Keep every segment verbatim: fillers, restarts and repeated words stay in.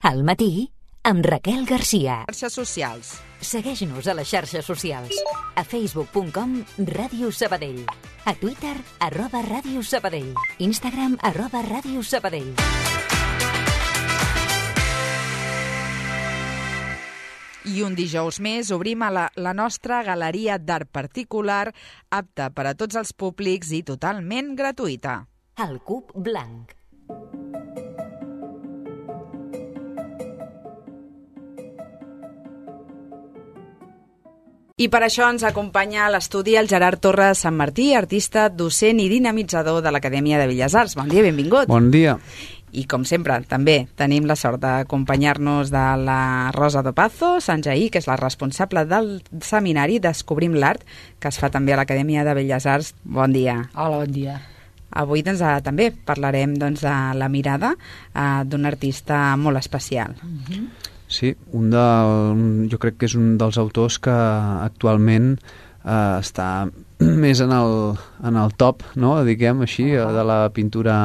Al matí, amb Raquel Garcia. Xarxes socials. Segueix-nos a les xarxes socials. A facebook punt com Ràdio Sabadell. A Twitter, arroba Ràdio Sabadell. Instagram, arroba Ràdio Sabadell. I un dijous més obrim a la, la nostra galeria d'art particular, apta per a tots els públics i totalment gratuïta. El Cub Blanc. I per això ens acompanya a l'estudi el Gerard Torres Sant Martí, artista, docent i dinamitzador de l'Acadèmia de Belles Arts. Bon dia, benvingut. Bon dia. I com sempre, també tenim la sort d'acompanyar-nos de la Rosa Dopazo Sanjaí, que és la responsable del seminari Descobrim l'Art, que es fa també a l'Acadèmia de Belles Arts. Bon dia. Hola, bon dia. Avui doncs, també parlarem doncs, de la mirada eh, d'un artista molt especial. Uh-huh. Sí, un del, jo crec que és un dels autors que actualment eh, està més en el, en el top, no? Diguem així, uh-huh. de la pintura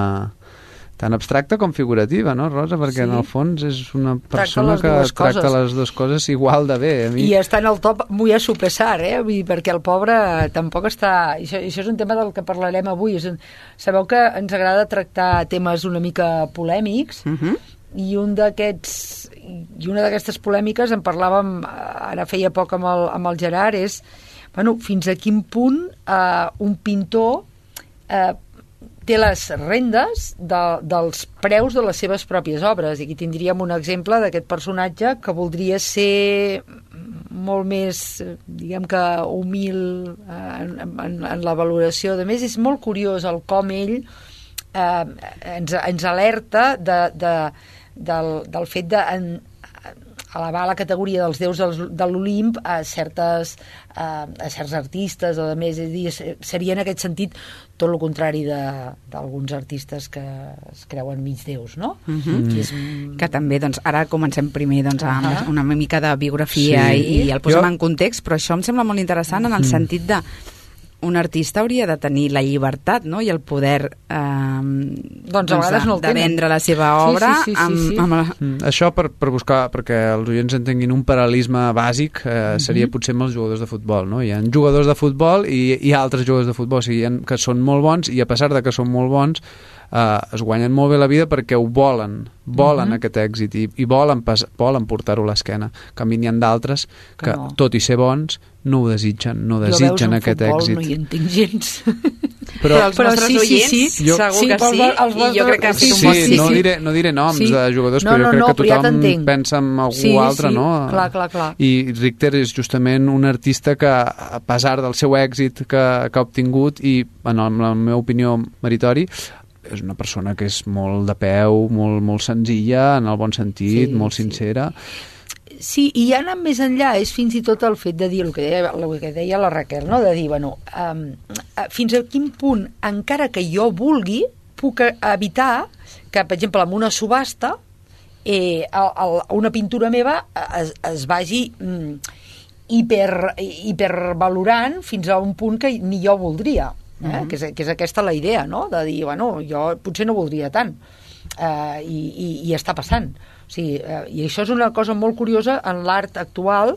tan abstracta com figurativa, no, Rosa? Perquè sí. En el fons és una persona que tracta coses. les dues coses igual de bé. A mi. I està en el top muy a su pesar, eh? Vull dir, perquè el pobre tampoc està... Això, això és un tema del que parlarem avui. És un... Sabeu que ens agrada tractar temes una mica polèmics, uh-huh. i un d'aquests i una d'aquestes polèmiques en parlàvem ara feia poc amb el, amb el Gerard, és bueno, fins a quin punt eh, un pintor eh, té les rendes de, dels preus de les seves pròpies obres. I aquí tindríem un exemple d'aquest personatge que voldria ser molt més, diguem que humil en, en, en la valoració. A més, és molt curiós el com ell eh, ens, ens alerta de, de Del, del fet de en, elevar la categoria dels déus dels, de l'Olimp a, certes, a, a certs artistes, o a més, és dir, seria en aquest sentit tot el contrari d'alguns artistes que es creuen mig déus, no? Uh-huh. Que, és... que també, doncs, ara comencem primer doncs, amb uh-huh. una mica de biografia sí. i, i el posem jo... en context, però això em sembla molt interessant en el uh-huh. sentit de un artista hauria de tenir la llibertat, no? I el poder eh, doncs a vegades no el de vendre la seva obra. Sí, sí, sí, sí, sí. Amb, amb la... mm, això per, per buscar, perquè els oients entenguin un paral·lelisme bàsic, eh, uh-huh. seria potser amb els jugadors de futbol, no? Hi ha jugadors de futbol i hi ha altres jugadors de futbol, o sigui, que són molt bons i a pesar de que són molt bons eh, es guanyen molt bé la vida perquè ho volen, volen uh-huh. aquest èxit i, i volen, pas, volen portar-ho a l'esquena. En canvi, n'hi ha d'altres que, que no. tot i ser bons, no ho desitgen, no desitgen aquest futbol, èxit. No hi entenc gens. Però, però els però nostres sí, oients, sí, sí. Jo, segur sí, que sí, els i jo crec que han fet sí, un bon sí, no, diré, no diré noms sí. de jugadors, no, però jo no, crec no, que tothom ja pensa en algú sí, altre, sí. no? Clar, clar, clar. I Richter és justament un artista que, a pesar del seu èxit que, que ha obtingut, i en el, la meva opinió meritori, és una persona que és molt de peu, molt, molt senzilla, en el bon sentit, sí, molt sincera. Sí. Sí, i ja anant més enllà és fins i tot el fet de dir el que deia, el que deia la Raquel, no? De dir, bueno, um, fins a quin punt, encara que jo vulgui, puc evitar que, per exemple, en una subhasta eh, el, el, una pintura meva es, es vagi mm, hiper, hipervalorant fins a un punt que ni jo voldria. Eh? Uh-huh. que, és, que és aquesta la idea, no? De dir, bueno, jo potser no voldria tant. Uh, i, i, i està passant. O sigui, uh, i això és una cosa molt curiosa en l'art actual.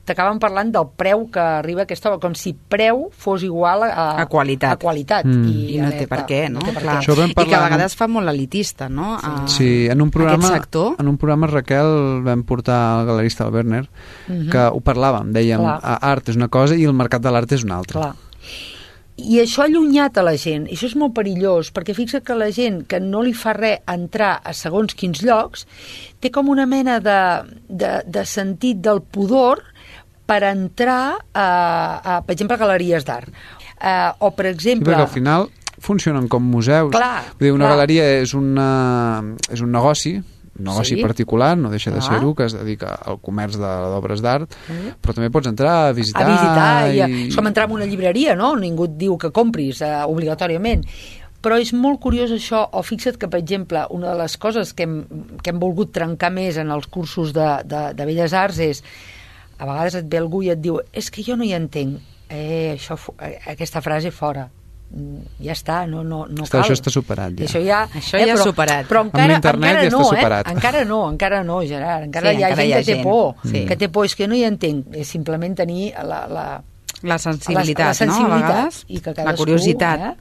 T'acaben parlant del preu que arriba a aquesta obra, com si preu fos igual a, a qualitat, a qualitat. Mm. I, I no té per què, no? no per Clar. Què. I que a vegades fa molt elitista, no? Sí, a, sí en, un programa, en un programa Raquel vam portar el galerista el Werner, uh-huh. que ho parlàvem, dèiem, Clar. art és una cosa i el mercat de l'art és una altra. Clar. I això ha allunyat a la gent, i això és molt perillós, perquè fixa que la gent que no li fa res entrar a segons quins llocs té com una mena de, de, de sentit del pudor per entrar a, a per exemple, a galeries d'art. Uh, o, per exemple... Sí, perquè al final funcionen com museus. Clar, Vull dir, una clar. galeria és, una, és un negoci, un negoci sí. particular, no deixa de ser-ho, que es dedica al comerç d'obres d'art, mm. però també pots entrar a visitar... A visitar, i... i... és com entrar en una llibreria, no? Ningú et diu que compris eh, obligatòriament. Però és molt curiós això, o fixa't que, per exemple, una de les coses que hem, que hem volgut trencar més en els cursos de, de, de Belles Arts és, a vegades et ve algú i et diu, és que jo no hi entenc, eh, això, aquesta frase fora. ja està, no, no, no està, cal. Això està superat, ja. Això ja, això ja eh, però, superat. Però encara, amb l'internet encara ja no, està superat. Eh? Encara no, encara no, Gerard. Encara sí, hi ha encara gent hi ha que té gent. por, sí. que té por, és que no hi entenc, és simplement tenir la... la la sensibilitat, la, la sensibilitat, no? A vegades, i que la curiositat. Eh?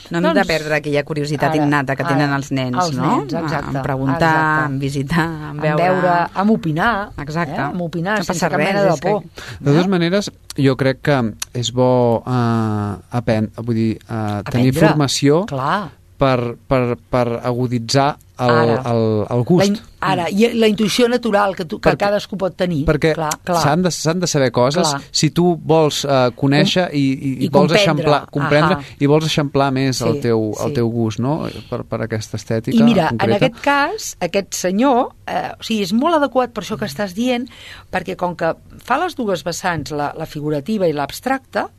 No hem doncs, de perdre aquella curiositat ara, innata que tenen ara, els nens, els no? nens, exacte, en preguntar, exacte. en visitar, en veure... En veure, en opinar. Exacte. Eh? En opinar, no sense cap mena de por. Que... De totes maneres, jo crec que és bo uh, aprendre, vull dir, uh, tenir Aprendre. formació Clar. per, per, per aguditzar el, el, el gust. La in, ara, i la intuïció natural que, tu, que perquè, cadascú pot tenir. Perquè s'han de, s'han de saber coses clar. Si tu vols uh, conèixer i, i, I vols comprendre. eixamplar, comprendre Ahà. i vols eixamplar més sí, el, teu, sí. el teu gust, no? Per, per aquesta estètica I mira, concreta. en aquest cas, aquest senyor, eh, o sigui, és molt adequat per això que estàs dient, perquè com que fa les dues vessants, la, la figurativa i l'abstracta,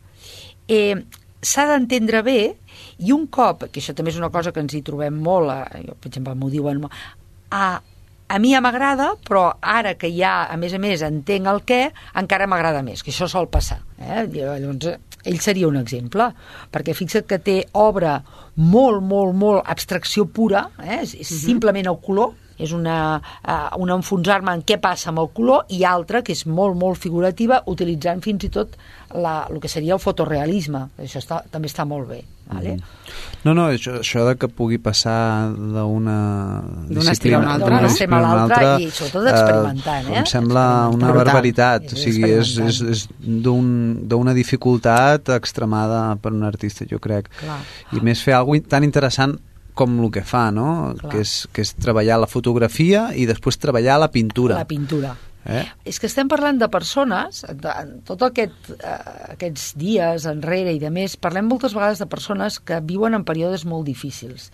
eh, s'ha d'entendre bé, i un cop, que això també és una cosa que ens hi trobem molt, eh, jo, per exemple, m'ho diuen, a, a mi ja m'agrada, però ara que ja, a més a més, entenc el què, encara m'agrada més, que això sol passar. Eh? Llavors, ell seria un exemple, perquè fixa't que té obra molt, molt, molt abstracció pura, eh? és, és simplement el color, és una, uh, un enfonsar-me en què passa amb el color, i altra que és molt, molt figurativa, utilitzant fins i tot la, el que seria el fotorealisme. Això està, també està molt bé. Vale? Mm. No, no, això, això de que pugui passar d'una disciplina a una altra, d'una no? disciplina a una altra, i sobretot experimentant, eh? em sembla una Brutal. barbaritat. És O sigui, és, és, és d'una dificultat extremada per un artista, jo crec. Clar. I més fer alguna cosa tan interessant com el que fa, no? Que és, que és treballar la fotografia i després treballar la pintura. La pintura. Eh? És que estem parlant de persones, de, tot aquest, eh, aquests dies enrere i de més, parlem moltes vegades de persones que viuen en períodes molt difícils.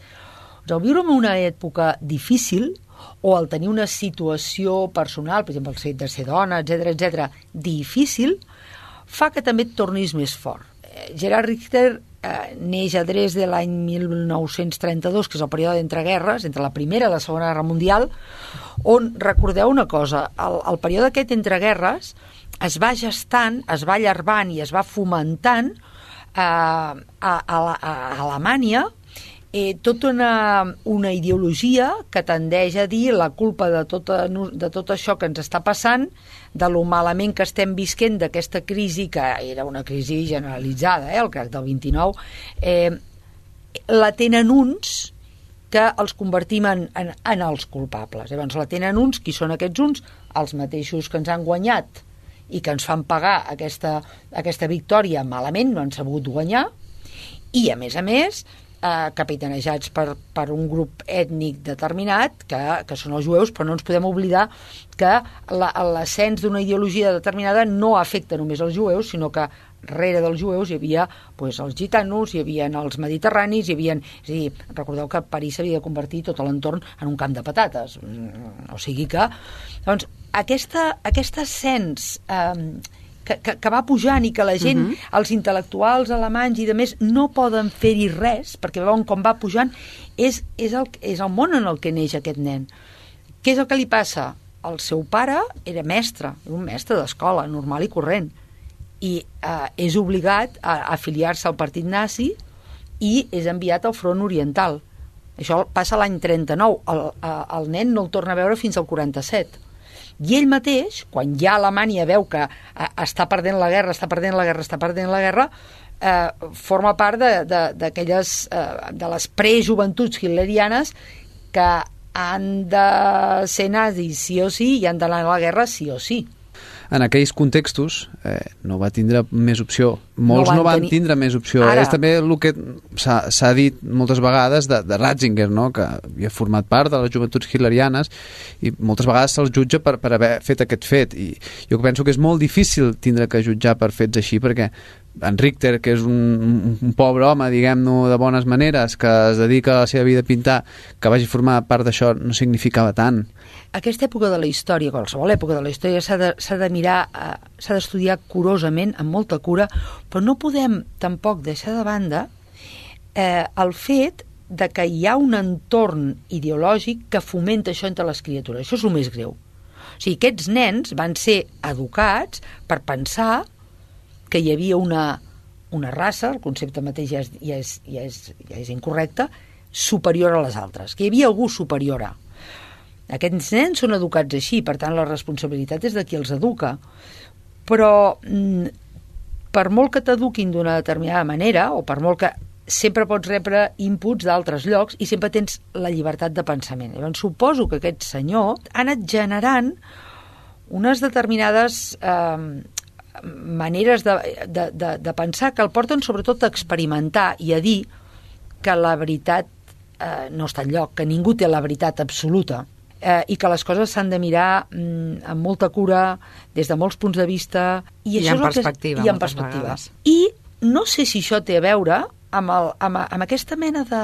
El viure en una època difícil o el tenir una situació personal, per exemple, el fet de ser dona, etcètera, etcètera, difícil, fa que també et tornis més fort. Gerard Richter eh, neix a Dresde l'any mil nou-cents trenta-dos, que és el període d'entreguerres, entre la Primera i la Segona Guerra Mundial, on, recordeu una cosa, el, el període aquest entre guerres es va gestant, es va allarvant i es va fomentant eh, a, a, a, a Alemanya eh, tota una, una ideologia que tendeix a dir la culpa de, tota, de tot això que ens està passant, de lo malament que estem visquent d'aquesta crisi, que era una crisi generalitzada, eh, el crac del vint-i-nou, eh, la tenen uns que els convertim en, en, en els culpables. Llavors la tenen uns, qui són aquests uns? Els mateixos que ens han guanyat i que ens fan pagar aquesta, aquesta victòria malament, no han sabut guanyar, i a més a més eh, capitanejats per, per un grup ètnic determinat, que, que són els jueus, però no ens podem oblidar que l'ascens d'una ideologia determinada no afecta només els jueus, sinó que darrere dels jueus hi havia pues, els gitanos, hi havia els mediterranis, hi havia... És a dir, recordeu que París s'havia de convertir tot l'entorn en un camp de patates. O sigui que... Doncs, aquesta, aquest ascens eh, que, que, que va pujant i que la gent, uh-huh. els intel·lectuals alemanys i de més, no poden fer-hi res, perquè veuen com va pujant, és, és, el, és el món en el que neix aquest nen. Què és el que li passa? El seu pare era mestre, era un mestre d'escola, normal i corrent, i eh, és obligat a, a afiliar-se al partit nazi i és enviat al front oriental. Això passa l'any trenta-nou. El, el nen no el torna a veure fins al quaranta-set. I ell mateix, quan ja Alemanya veu que eh, està perdent la guerra, està perdent la guerra, està perdent la guerra, eh, forma part de, de, d'aquelles, eh, de les prejoventuts hitlerianes que han de ser nazis sí o sí i han d'anar a la guerra sí o sí. En aquells contextos eh, no va tindre més opció. Molts no van, no van tenir... tindre més opció. Ara... És també el que s'ha dit moltes vegades de, de Ratzinger, no? Que havia format part de les joventuts hitlerianes i moltes vegades se'ls jutja per, per haver fet aquest fet. I jo penso que és molt difícil tindre que jutjar per fets així, perquè en Richter, que és un, un pobre home, diguem-ne, de bones maneres, que es dedica a la seva vida a pintar, que vagi formar part d'això no significava tant. Aquesta època de la història, qualsevol època de la història, s'ha de, s'ha de mirar, eh, s'ha d'estudiar curosament, amb molta cura, però no podem tampoc deixar de banda eh, el fet de que hi ha un entorn ideològic que fomenta això entre les criatures. Això és el més greu. O sigui, aquests nens van ser educats per pensar que hi havia una, una raça, el concepte mateix ja és, ja és, ja és, ja és incorrecte, superior a les altres, que hi havia algú superior a. Aquests nens són educats així, per tant la responsabilitat és de qui els educa. Però per molt que t'eduquin d'una determinada manera, o per molt que sempre pots rebre inputs d'altres llocs i sempre tens la llibertat de pensament. Llavors suposo que aquest senyor ha anat generant unes determinades eh, maneres de, de, de, de pensar que el porten sobretot a experimentar i a dir que la veritat eh, no està enlloc, que ningú té la veritat absoluta eh, i que les coses s'han de mirar mm, amb molta cura, des de molts punts de vista i, I això en és perspectiva. Que és, I en perspectiva. Vegades. I no sé si això té a veure amb, el, amb, amb aquesta mena de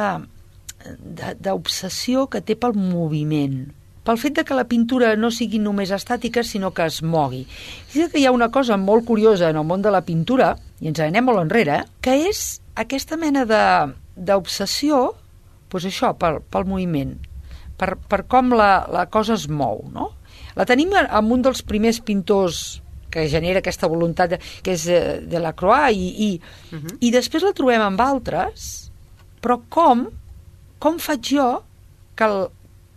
d'obsessió que té pel moviment, pel fet de que la pintura no sigui només estàtica, sinó que es mogui. És que hi ha una cosa molt curiosa en el món de la pintura, i ens anem molt enrere, que és aquesta mena d'obsessió, doncs això, pel, pel moviment, per, per com la, la cosa es mou, no? La tenim amb un dels primers pintors que genera aquesta voluntat, de, que és Delacroix, i, i, uh-huh. i després la trobem amb altres, però com, com faig jo que el,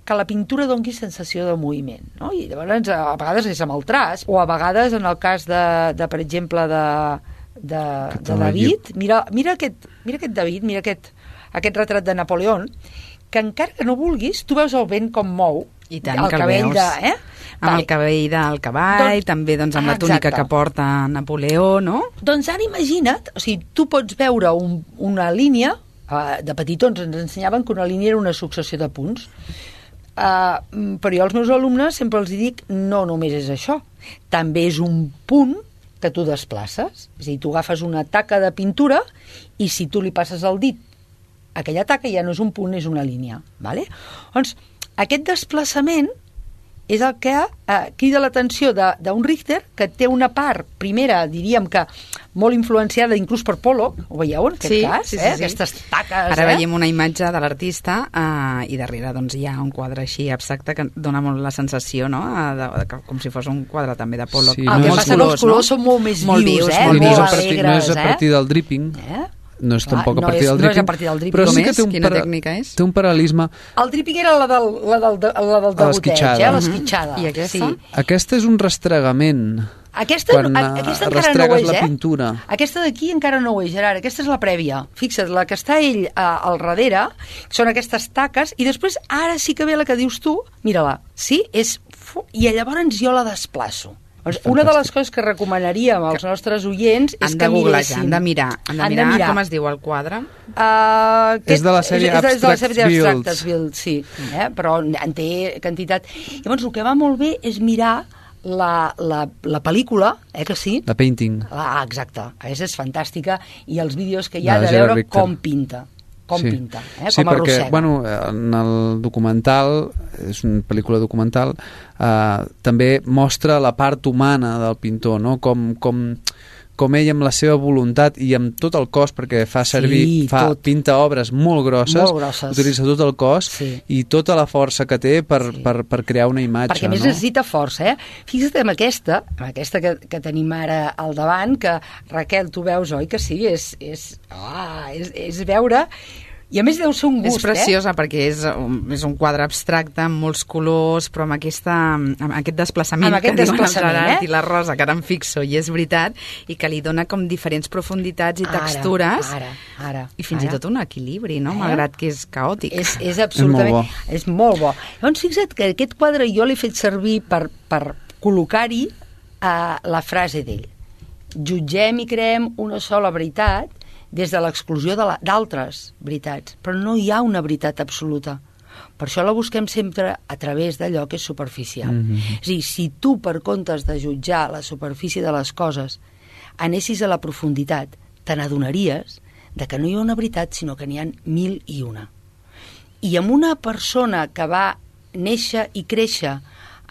que la pintura doni sensació de moviment, no? I llavors a vegades és amb el traç, o a vegades en el cas de, de per exemple, de, de, de David, mira, mira, aquest, mira aquest David, mira aquest, aquest retrat de Napoleó, que encara que no vulguis, tu veus el vent com mou, i tant, el que el cabell veus. de... Eh? Amb vale. El cabell del cavall, doncs, també doncs, amb ah, la túnica exacte. Que porta Napoleó, no? Doncs ara imagina't, o sigui, tu pots veure un, una línia, uh, de petitons ens ensenyaven que una línia era una successió de punts, uh, però jo als meus alumnes sempre els dic, no només és això, també és un punt que tu desplaces, és a dir, tu agafes una taca de pintura i si tu li passes el dit, aquella taca ja no és un punt, és una línia, vale? Doncs aquest desplaçament és el que eh, crida l'atenció d'un Richter, que té una part, primera, diríem que molt influenciada inclús per Pollock, ho veieu en aquest sí, cas? Sí, sí, eh? sí. Aquestes taques... Ara eh? veiem una imatge de l'artista eh, i darrere doncs, hi ha un quadre així abstracte que dona molt la sensació, no? De, de, com si fos un quadre també de Pollock. Sí, el no que passa que els colors no? són molt més molt vius, vius, eh? molt no, és molt a partir, alegres, no és a partir eh? del dripping, Eh? no és tampoc no a partir és, del dripping, no és a partir del dripping. però Com sí és? que té un, Quina para, tècnica és? té un paral·lisme. El dripping era la del, la del, la del degoteig, eh? L'esquitxada. I aquesta? Sí. Aquesta és un rastregament. Aquesta, quan a, aquesta encara no ho és, la eh? pintura. Aquesta d'aquí encara no ho és, Gerard. Aquesta és la prèvia. Fixa't, la que està ell a, al darrere són aquestes taques i després ara sí que ve la que dius tu, mira-la, sí? És, i llavors jo la desplaço. Una de les coses que recomanaríem als nostres oients és han que miressin. Han de mirar, han de mirar, han de mirar. Com es diu el quadre? Uh, és de la sèrie és, és de la Abstract sèrie Builds. Abstractes Builds, sí, eh? Però en té quantitat. Llavors, el que va molt bé és mirar la, la, la pel·lícula, eh, que sí? La painting. Ah, exacte, aquesta és fantàstica, i els vídeos que hi ha de, de veure Richter. com pinta. Com sí. pinta, eh? Sí, com perquè, arrossega. bueno, en el documental, és una pel·lícula documental, eh, també mostra la part humana del pintor, no? Com, com, com ell amb la seva voluntat i amb tot el cos, perquè fa servir, sí, fa, tot. pinta obres molt grosses, molt grosses, utilitza tot el cos sí. i tota la força que té per, sí. per, per crear una imatge. Perquè a més no? necessita força, eh? Fixa't en aquesta, en aquesta que, que tenim ara al davant, que Raquel, tu veus, oi que sí? És, és, oh, és, és veure... I a més deu ser un gust, és preciosa eh? perquè és un, és un quadre abstracte amb molts colors, però amb, aquesta, amb aquest desplaçament amb aquest que diuen el desplaçament, Gerard eh? i la Rosa, que ara em fixo, i és veritat, i que li dona com diferents profunditats i ara, textures, ara, ara, i fins ara. i tot un equilibri, no? Eh? Malgrat que és caòtic. És, és absolutament... És molt bo. És molt bo. Llavors, fixa't que aquest quadre jo l'he fet servir per, per col·locar-hi uh, la frase d'ell. Jutgem i creem una sola veritat des de l'exclusió d'altres veritats, però no hi ha una veritat absoluta. Per això la busquem sempre a través d'allò que és superficial. Mm-hmm. És a dir, si tu, per comptes de jutjar la superfície de les coses, anessis a la profunditat, te n'adonaries de que no hi ha una veritat, sinó que n'hi ha mil i una. I amb una persona que va néixer i créixer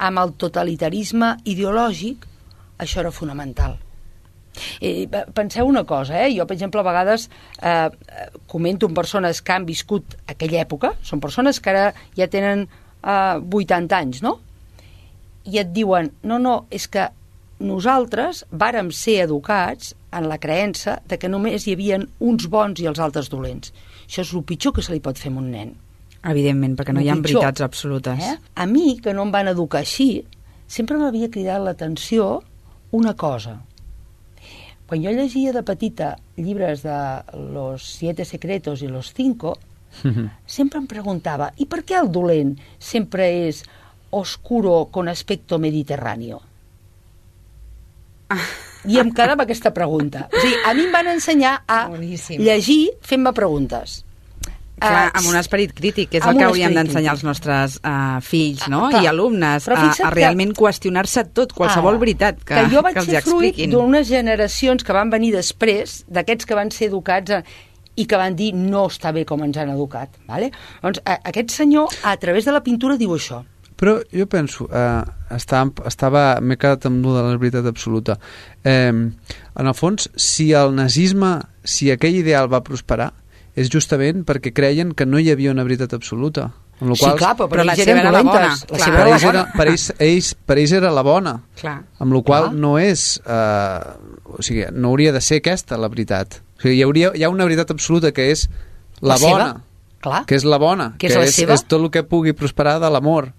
amb el totalitarisme ideològic, això era fonamental. Eh, penseu una cosa, eh? Jo per exemple a vegades eh, comento amb persones que han viscut aquella època, són persones que ara ja tenen eh, vuitanta anys, no? I et diuen, no, no, és que nosaltres vàrem ser educats en la creença de que només hi havia uns bons i els altres dolents. Això és el pitjor que se li pot fer a un nen. Evidentment, perquè no hi ha veritats absolutes. Eh? A mi, que no em van educar així, sempre m'havia cridat l'atenció una cosa. Quan jo llegia de petita llibres de Los siete secretos i Los cinco, sempre em preguntava, i per què el dolent sempre és oscuro con aspecto mediterráneo? I em quedava aquesta pregunta. O sigui, a mi em van ensenyar a Boníssim. llegir fent-me preguntes. Clar, amb un esperit crític, que és el que hauríem d'ensenyar als nostres uh, fills, no? Ah, i alumnes, a, a realment que... qüestionar-se tot, qualsevol ara, veritat que, que, jo vaig que els ser expliquin. Fruit d'unes generacions que van venir després, d'aquests que van ser educats a, i que van dir no està bé com ens han educat. Vale? Doncs a, aquest senyor, a través de la pintura, diu això. Però jo penso, eh, estava, estava m'he quedat amb de la veritat absoluta. Eh, en el fons, si el nazisme, si aquell ideal va prosperar, és justament perquè creien que no hi havia una veritat absoluta. Amb sí, qual, clar, però, però la seva era la bona. La seva era la bona. Per ells, ells, per ells era la bona. Clar. Amb la qual no és... Eh, o sigui, no hauria de ser aquesta la veritat. O sigui, hi, hauria, hi ha una veritat absoluta que és la, la bona. Clar. Que és la bona. Que és, que és, és tot el que pugui prosperar de l'amor.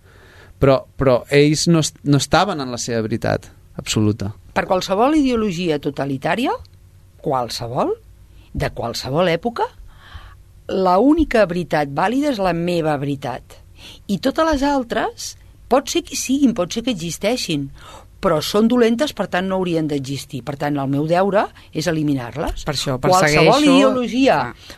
Però, però ells no, no estaven en la seva veritat absoluta. Per qualsevol ideologia totalitària, qualsevol, de qualsevol època, la única veritat vàlida és la meva veritat. I totes les altres pot ser que siguin, pot ser que existeixin, però són dolentes, per tant no haurien d'existir. Per tant, el meu deure és eliminar-les. Per això, qualsevol persegueixo... ideologia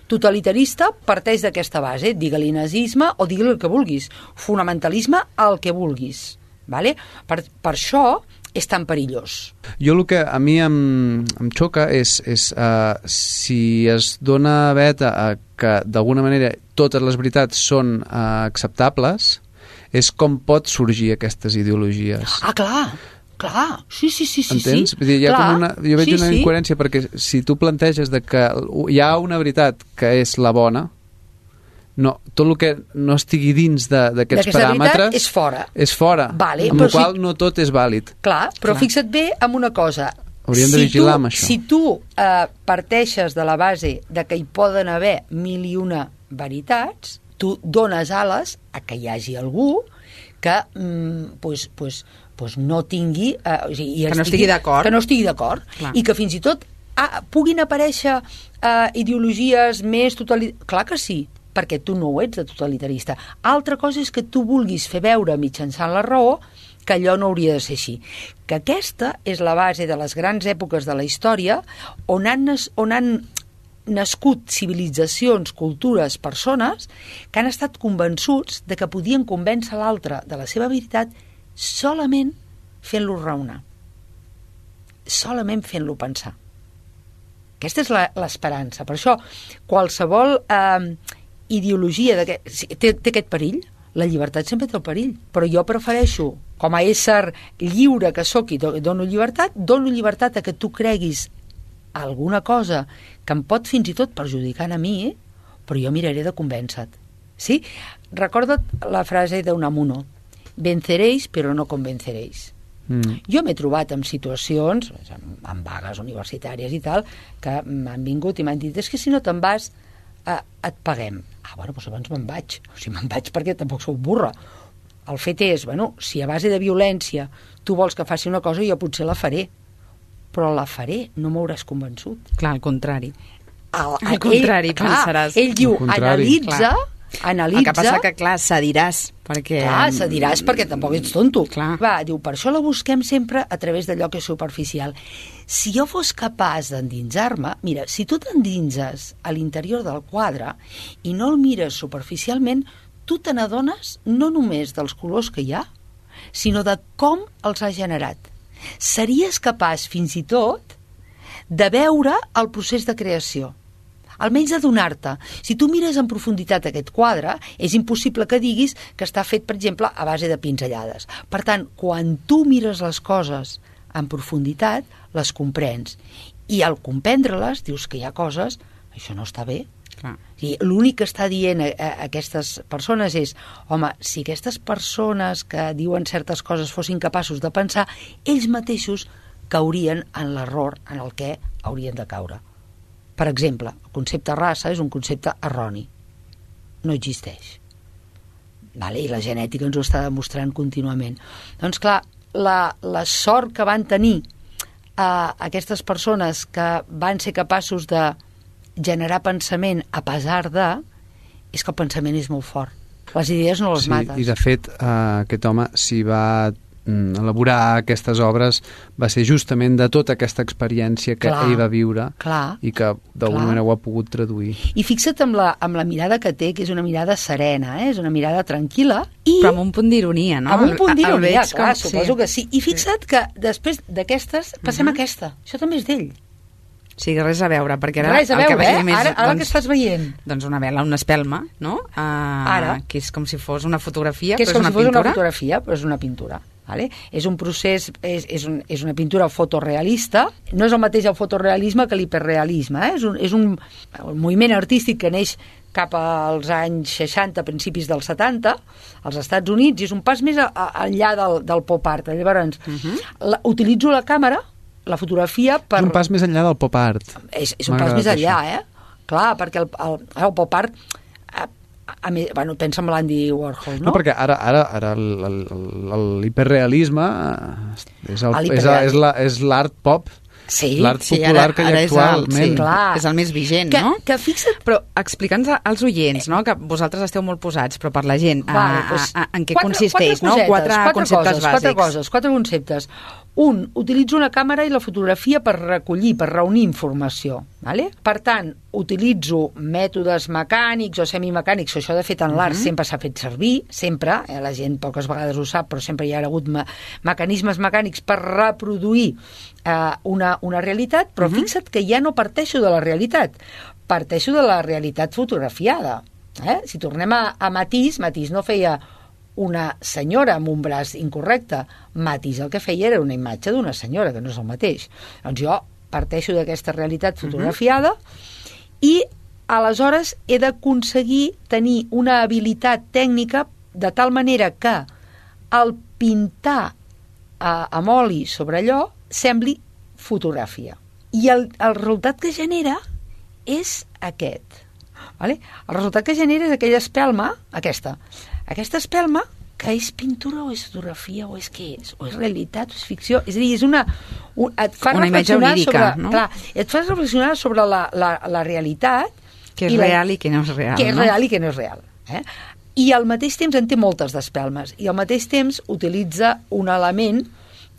totalitarista parteix d'aquesta base. Digue-li nazisme o digue-li el que vulguis. Fonamentalisme, el que vulguis. Vale? Per, per això és tan perillós. Jo el que a mi em, em xoca és, és uh, si es dona veta a que d'alguna manera totes les veritats són uh, acceptables, és com pot sorgir aquestes ideologies. Ah, clar! Clar, sí, sí, sí, sí. Entens? Sí. Vull dir, hi ha clar, com una, jo veig sí, una sí. incoherència perquè si tu planteges de que hi ha una veritat que és la bona, no, tot el que no estigui dins d'aquests paràmetres és fora. És fora, vale, amb la qual si... no tot és vàlid. Clar, però clar. Fixa't bé en una cosa. Hauríem de si vigilar tu, amb això. Si tu eh, parteixes de la base de que hi poden haver mil i una veritats, tu dones ales a que hi hagi algú que mm, pues, pues, pues no tingui... Eh, o sigui, que no estigui d'acord. Que no estigui d'acord. I que fins i tot ah, puguin aparèixer eh, ideologies més totalitàries. Clar que sí, perquè tu no ho ets de totalitarista. Altra cosa és que tu vulguis fer veure mitjançant la raó que allò no hauria de ser així. Que aquesta és la base de les grans èpoques de la història on han, on han nascut civilitzacions, cultures, persones que han estat convençuts de que podien convèncer l'altre de la seva veritat solament fent-lo raonar. Solament fent-lo pensar. Aquesta és l'esperança. Per això, qualsevol eh, ideologia té, té aquest perill. La llibertat sempre té el perill, però jo prefereixo, com a ésser lliure que sóc i dono llibertat, dono llibertat a que tu creguis alguna cosa que em pot fins i tot perjudicar a mi, però jo miraré de convèncer-te. Sí? Recorda't la frase d'Unamuno, venceréis però no convenceréis. Mm. Jo m'he trobat en situacions, en vagues universitàries i tal, que m'han vingut i m'han dit, és que si no te'n vas eh, et paguem. Ah, bueno, doncs abans me'n vaig. O sigui, me'n vaig perquè tampoc sou burra. El fet és, bueno, si a base de violència tu vols que faci una cosa, jo potser la faré, però la faré, no m'hauràs convençut. Clar, al contrari. Al, al contrari, ell, pensaràs. Clar, ell diu, analitza, analitza... El que passa que, clar, cediràs, perquè... Clar, cediràs perquè tampoc ets tonto. Clar. Va, diu, per això la busquem sempre a través d'allò que és superficial. Si jo fos capaç d'endinsar-me... Mira, si tu t'endinses a l'interior del quadre i no el mires superficialment, tu te n'adones no només dels colors que hi ha, sinó de com els ha generat. Series capaç, fins i tot, de veure el procés de creació. Almenys de donar-te. Si tu mires en profunditat aquest quadre, és impossible que diguis que està fet, per exemple, a base de pinzellades. Per tant, quan tu mires les coses en profunditat, les comprens. I al comprendre-les, dius que hi ha coses, això no està bé. Clar. I l'únic que està dient a, a aquestes persones és, home, si aquestes persones que diuen certes coses fossin capaços de pensar, ells mateixos caurien en l'error en el què haurien de caure. Per exemple, el concepte raça és un concepte erroni. No existeix. Vale? I la genètica ens ho està demostrant contínuament. Doncs clar, la, la sort que van tenir eh, aquestes persones que van ser capaços de generar pensament a pesar de, és que el pensament és molt fort. Les idees no les sí, mates. I de fet, eh, aquest home s'hi va mm, elaborar aquestes obres, va ser justament de tota aquesta experiència que clar, ell va viure clar, i que d'alguna manera ho ha pogut traduir. I fixa't amb la, amb la mirada que té, que és una mirada serena, eh? És una mirada tranquil·la. I però amb un punt d'ironia, no? Amb un punt d'ironia, clar, com, suposo sí. que sí. I fixa't que després d'aquestes passem uh -huh. a aquesta. Això també és d'ell. O sigui, res a veure, perquè ara res a veure, el que veiem eh? és... Ara, ara doncs, que estàs veient? Doncs una vela, una espelma, no? Uh, ara. Que és com si fos una fotografia, que és però com és una si fos pintura. una fotografia, però és una pintura. Vale? És un procés, és, és, un, és una pintura fotorealista, no és el mateix el fotorealisme que l'hiperrealisme, eh? és, un, és un, un moviment artístic que neix cap als anys seixanta, principis dels setanta, als Estats Units, i és un pas més a, a, enllà del, del pop art. Llavors, uh -huh. la, utilitzo la càmera, la fotografia, per... És un pas més enllà del pop art. És, és un pas més enllà, això. eh? Clar, perquè el, el, el pop art... A, a, a, bueno, pensa en l'Andy Warhol, no? No, perquè ara, ara, ara l'hiperrealisme és, el, el és, és, la, és l'art pop, sí, l'art sí, popular ara, que hi ha actualment. Sí, clar. És el més vigent, que, no? Que fixa't... Però explica'ns als oients, no? Que vosaltres esteu molt posats, però per la gent, Vale, a, doncs, a, a, en què quatre, consisteix, quatre no? cosetes, Quatre, quatre conceptes coses, bàsics. Quatre coses, quatre conceptes. Un, utilitzo una càmera i la fotografia per recollir, per reunir informació. Vale? Per tant, utilitzo mètodes mecànics o semimecànics, això de fet en l'art uh -huh. sempre s'ha fet servir, sempre, eh, la gent poques vegades ho sap, però sempre hi ha hagut me mecanismes mecànics per reproduir eh, una, una realitat, però uh -huh. fixa't que ja no parteixo de la realitat, parteixo de la realitat fotografiada. Eh? Si tornem a, a Matisse, Matisse no feia una senyora amb un braç incorrecte. Matisse el que feia era una imatge d'una senyora, que no és el mateix. Doncs jo parteixo d'aquesta realitat fotografiada uh -huh. i aleshores he d'aconseguir tenir una habilitat tècnica de tal manera que el pintar a, amb oli sobre allò sembli fotografia. I el, el resultat que genera és aquest. Vale? El resultat que genera és aquella espelma, aquesta, aquesta espelma, que és pintura o és fotografia o és què és, o és realitat o és ficció, és a dir, és una... Un, et fa una imatge onírica, sobre, no? Clar, et fa reflexionar sobre la, la, la realitat... Que és i la, real i que no és real, que és no? real i que no és real. Eh? I al mateix temps en té moltes d'espelmes, i al mateix temps utilitza un element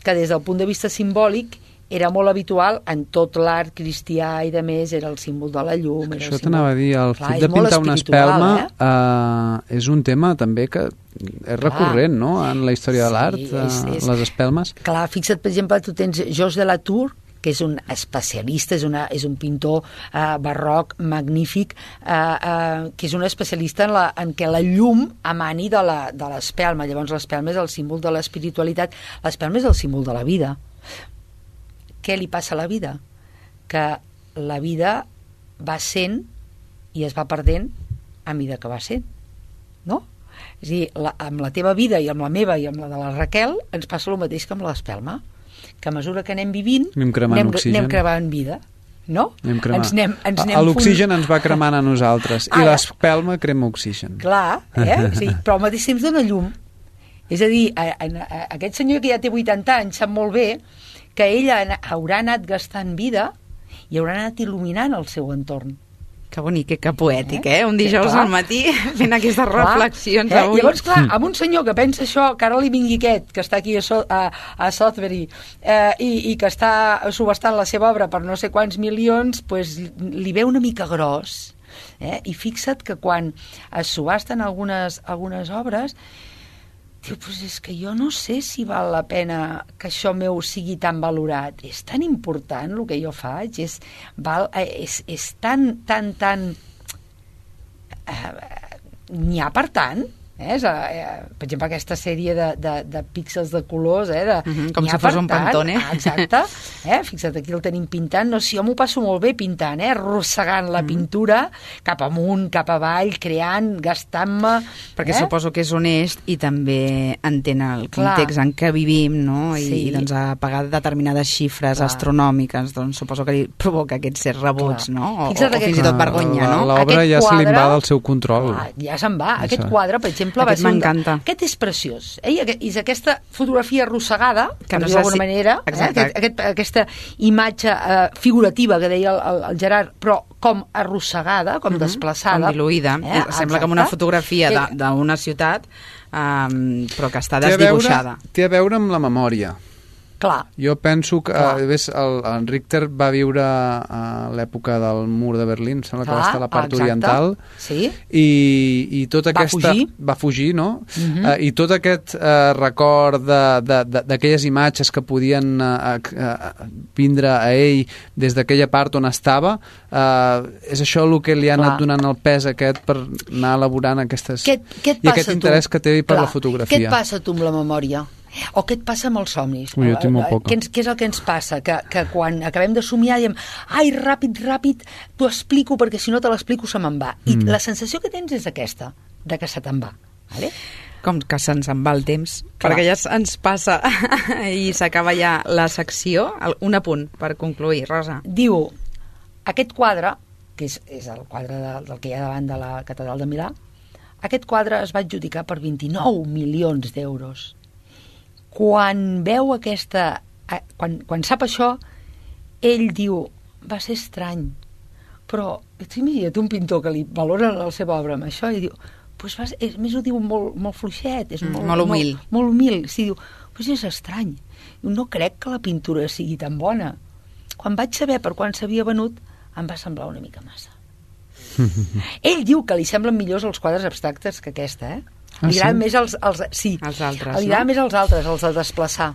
que des del punt de vista simbòlic era molt habitual en tot l'art cristià i de més, era el símbol de la llum. Era Això t'anava a dir, el Clar, fet de pintar una espelma eh? Uh, és un tema també que és recurrent, Clar. no?, en la història sí, de l'art, uh, les espelmes. Clar, fixa't, per exemple, tu tens Georges de la Tour, que és un especialista, és, una, és un pintor uh, barroc magnífic, uh, uh, que és un especialista en, la, en què la llum emani de l'espelma. Llavors l'espelma és el símbol de l'espiritualitat, l'espelma és el símbol de la vida. Què li passa a la vida? Que la vida va sent i es va perdent a mesura que va sent, no? És a dir, la, amb la teva vida i amb la meva i amb la de la Raquel ens passa el mateix que amb l'espelma, que a mesura que anem vivint anem cremant anem, oxigen, anem cremant vida, no? Anem cremant. Ens anem, ens anem l'oxigen ens va cremant a nosaltres i l'espelma crema oxigen. Clar, eh? Sí, però al mateix temps dona llum. És a dir, a, a, a, aquest senyor que ja té vuitanta anys sap molt bé que ella haurà anat gastant vida i haurà anat il·luminant el seu entorn. Que bonic, que, que poètic, eh? Un dijous clar. al matí fent aquestes clar. reflexions eh? avui. Llavors, clar, amb un senyor que pensa això, que ara li vingui aquest, que està aquí a, so a, a Southbury, eh, i, i que està subestant la seva obra per no sé quants milions, pues, li ve una mica gros. Eh? I fixa't que quan es subasten algunes, algunes obres, diu, pues és que jo no sé si val la pena que això meu sigui tan valorat. És tan important el que jo faig, és, val, és, és tan, tan, tan... Eh, n'hi ha per tant? Eh? Eh, per exemple, aquesta sèrie de, de, de píxels de colors, eh? De, uh -huh, com si fos un Pantone. Ah, exacte. Eh? Fixa't, aquí el tenim pintant. No, si jo m'ho passo molt bé pintant, eh? Arrossegant la uh -huh. pintura cap amunt, cap avall, creant, gastant-me... Perquè eh? suposo que és honest i també entén el context Clar. en què vivim, no? I, sí. i doncs a pagar determinades xifres Clar. astronòmiques, doncs suposo que li provoca aquests certs rebuts, Clar. no? O, o, o fins i tot vergonya, no? L'obra ja se li va del seu control. Clar, ja se'n va. Aquest quadre, per exemple, Aquest m'encanta. Un... Aquest és preciós. Eh? I és aquesta fotografia arrossegada, que no d'alguna si... manera, eh? aquest, aquest, aquesta imatge eh, figurativa que deia el, el Gerard, però com arrossegada, com uh -huh. desplaçada. Com diluïda. Eh? Sembla com una fotografia d'una ciutat, um, però que està desdibuixada. Té a veure amb la memòria. Clar. Jo penso que eh, ves, el, el Richter va viure a l'època del mur de Berlín, sembla Clar, que va estar a la part exacte. oriental, sí. i, i tota va aquesta... Fugir. Va fugir. no? Uh-huh. Uh, I tot aquest uh, record d'aquelles imatges que podien uh, uh, vindre a ell des d'aquella part on estava, uh, és això el que li ha anat Clar. donant el pes aquest per anar elaborant aquestes... Què, què et I aquest interès tu? que té per Clar. la fotografia. Què et passa tu amb la memòria? O què et passa amb els somnis? Ui, jo tinc molt poca. Què, què és el que ens passa? Que, que quan acabem de somiar diem ai, ràpid, ràpid, t'ho explico perquè si no te l'explico se me'n va. I mm. la sensació que tens és aquesta, de que se te'n va. Vale? Com que se'ns en va el temps, Clar. perquè ja ens passa i s'acaba ja la secció. Un apunt per concluir, Rosa. Diu, aquest quadre, que és, és el quadre de, del que hi ha davant de la Catedral de Milà, aquest quadre es va adjudicar per vint-i-nou milions d'euros. Quan veu aquesta... Quan, quan sap això, ell diu, va ser estrany, però imagina't un pintor que li valora la seva obra amb això i diu, pues va ser, és, més ho diu molt, molt fluixet, és molt, mm, molt humil. Molt, molt humil. Sí, diu, pues és estrany. No crec que la pintura sigui tan bona. Quan vaig saber per quan s'havia venut, em va semblar una mica massa. Ell diu que li semblen millors els quadres abstractes que aquesta, eh? Ah, li agraden sí? més els, els, sí, els altres, li agraden no? més els altres, els de desplaçar.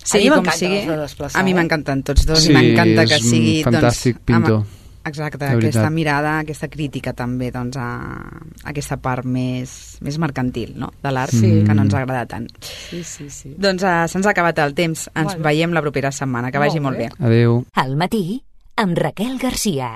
Sí, a mi com m'encanten sigui, els de desplaçar. a mi eh? m'encanten tots dos sí, i m'encanta que sigui... és un fantàstic doncs, pintor. Amb, exacte, aquesta mirada, aquesta crítica també doncs, a, a aquesta part més, més mercantil, no?, de l'art, sí. que no ens agrada tant. Sí, sí, sí. Doncs uh, se'ns ha acabat el temps. Ens Bueno. veiem la propera setmana. Que vagi molt bé. Adéu. Al matí, amb Raquel Garcia.